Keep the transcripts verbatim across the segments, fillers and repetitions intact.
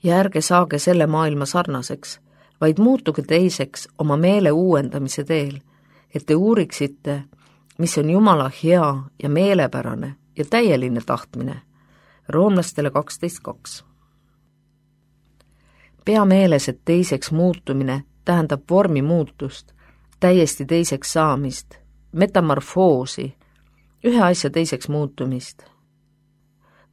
ja ärge saage selle maailma sarnaseks, vaid muutuge teiseks oma meele uuendamise teel, et te uuriksite, mis on Jumala hea ja meelepärane ja täieline tahtmine. Roomlastele kaksteist kaks. Pea meeles, et teiseks muutumine tähendab vormi muutust, täiesti teiseks saamist, metamorfoosi, ühe asja teiseks muutumist.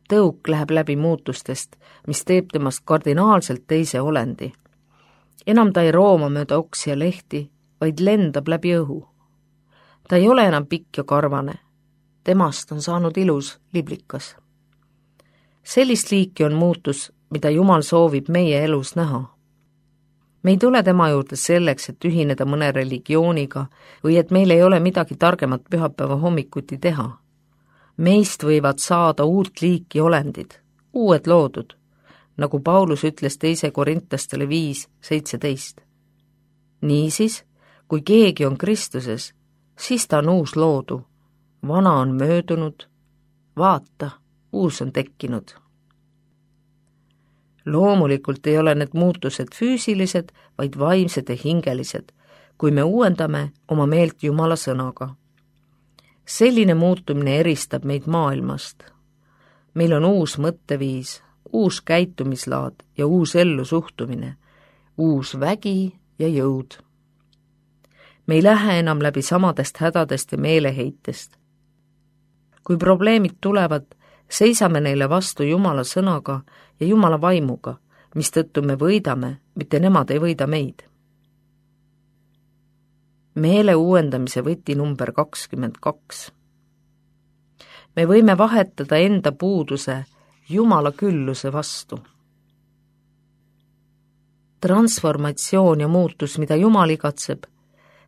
Tõuk läheb läbi muutustest, mis teeb temast kardinaalselt teise olendi. Enam ta ei rooma mööda oksi ja lehti, vaid lendab läbi õhu. Ta ei ole enam pikk ja karvane. Temast on saanud ilus liblikas. Sellist liiki on muutus, mida Jumal soovib meie elus näha. Me ei tule tema juurde selleks, et ühineda mõne religiooniga või et meil ei ole midagi targemat pühapäeva hommikuti teha. Meist võivad saada uut liiki olendid, uued loodud, nagu Paulus ütles teise Korintastele viis seitseteist. Niisiis, kui keegi on Kristuses, siis ta on uus loodu, vana on möödunud, vaata, uus on tekkinud. Loomulikult ei ole need muutused füüsilised, vaid vaimsed ja hingelised, kui me uuendame oma meelt Jumala sõnaga. Selline muutumine eristab meid maailmast. Meil on uus mõtteviis, uus käitumislaad ja uus ellusuhtumine, uus vägi ja jõud. Me ei lähe enam läbi samadest hädadest ja meeleheitest. Kui probleemid tulevad, seisame neile vastu Jumala sõnaga ja Jumala vaimuga, mistõttu me võidame, mitte nemad ei võida meid. Meele uuendamise võti number kakskümmend kaks. Me võime vahetada enda puuduse Jumala külluse vastu. Transformatsioon ja muutus, mida Jumal igatseb,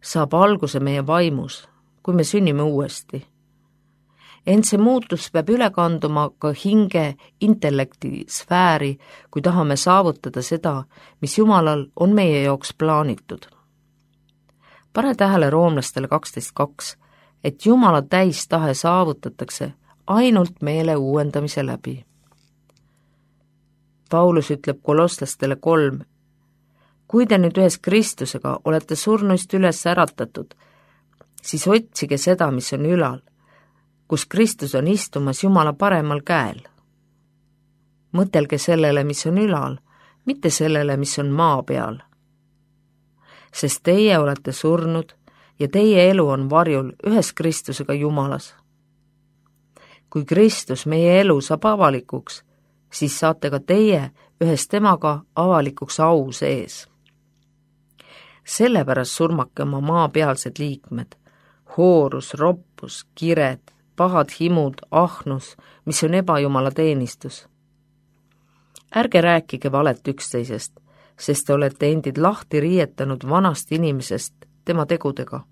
saab alguse meie vaimus, kui me sünnime uuesti. Ent see muutus peab üle kanduma ka hinge intellekti sfääri, kui tahame saavutada seda, mis Jumalal on meie jaoks plaanitud. Pane tähele Roomlastele kaksteist kaks, et Jumala täistahe saavutatakse ainult meele uuendamise läbi. Paulus ütleb Kolosslastele kolm, kui te nüüd ühes Kristusega olete surnuist üles äratatud, siis otsige seda, mis on ülal, kus Kristus on istumas Jumala paremal käel. Mõtelge sellele, mis on ülal, mitte sellele, mis on maa peal. Sest teie olete surnud ja teie elu on varjul ühes Kristusega Jumalas. Kui Kristus meie elu saab avalikuks, siis saate ka teie ühes temaga avalikuks au sees. Sellepärast surmake oma maapealsed liikmed, hoorus, roppus, kired, pahad himud, ahnus, mis on ebajumala teenistus. Ärge rääkige valet üksteisest, sest te olete endid lahti riietanud vanast inimesest tema tegudega.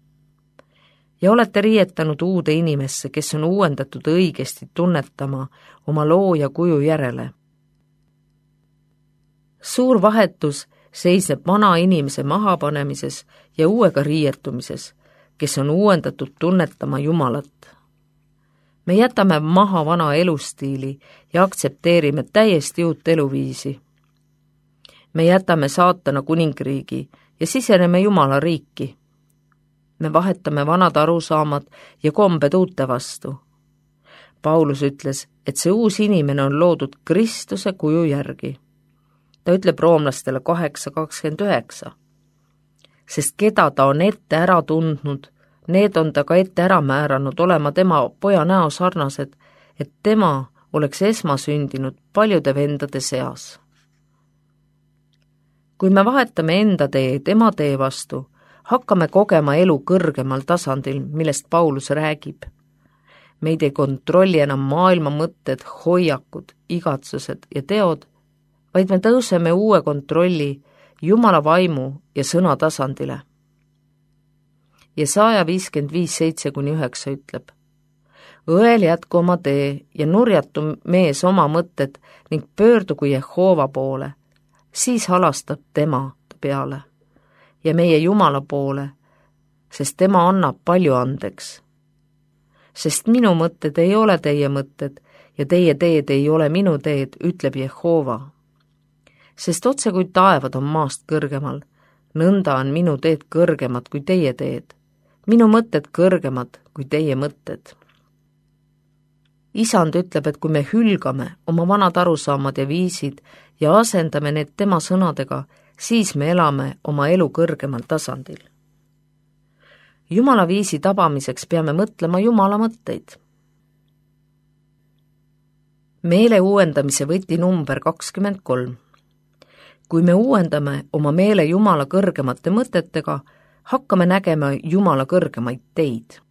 Ja olete riietanud uude inimesse, kes on uuendatud õigesti tunnetama oma looja kuju järele. Suur vahetus seisneb vana inimese mahapanemises ja uuega riietumises, kes on uuendatud tunnetama Jumalat. Me jätame maha vana elustiili ja aktsepteerime täiesti uut eluviisi. Me jätame saatana kuningriigi ja siseneme Jumala riiki. Me vahetame vanad arusaamad ja kombed uute vastu. Paulus ütles, et see uus inimene on loodud Kristuse kuju järgi. Ta ütleb Roomlastele kaheksa kakskümmend üheksa. Sest keda ta on ette ära tundnud, need on ta ka ette ära määranud olema tema poja näo sarnased, et tema oleks esmasündinud paljude vendade seas. Kui me vahetame enda tee tema tee vastu, hakkame kogema elu kõrgemal tasandil, millest Paulus räägib. Meid ei kontrolli enam maailma mõtted, hoiakud, igatsused ja teod, vaid me tõuseme uue kontrolli Jumala vaimu ja sõna tasandile. Jesaja viiskümmend viis seitse kuni üheksa ütleb, õel jätku oma tee ja nurjatu mees oma mõtted ning pöördugu Jehova poole, siis halastab tema peale ja meie Jumala poole, sest tema annab palju andeks. Sest minu mõtted ei ole teie mõtted ja teie teed ei ole minu teed, ütleb Jehova. sest otse kui taevad on maast kõrgemal, nõnda on minu teed kõrgemad kui teie teed, minu mõtted kõrgemad kui teie mõtted. Isand ütleb, et kui me hülgame oma vanad arusaamad ja viisid ja asendame need tema sõnadega, siis me elame oma elu kõrgemal tasandil. Jumala viisi tabamiseks peame mõtlema Jumala mõtteid. Meele uuendamise võti number kakskümmend kolm. Kui me uuendame oma meele Jumala kõrgemate mõtetega, hakkame nägema Jumala kõrgemaid teid.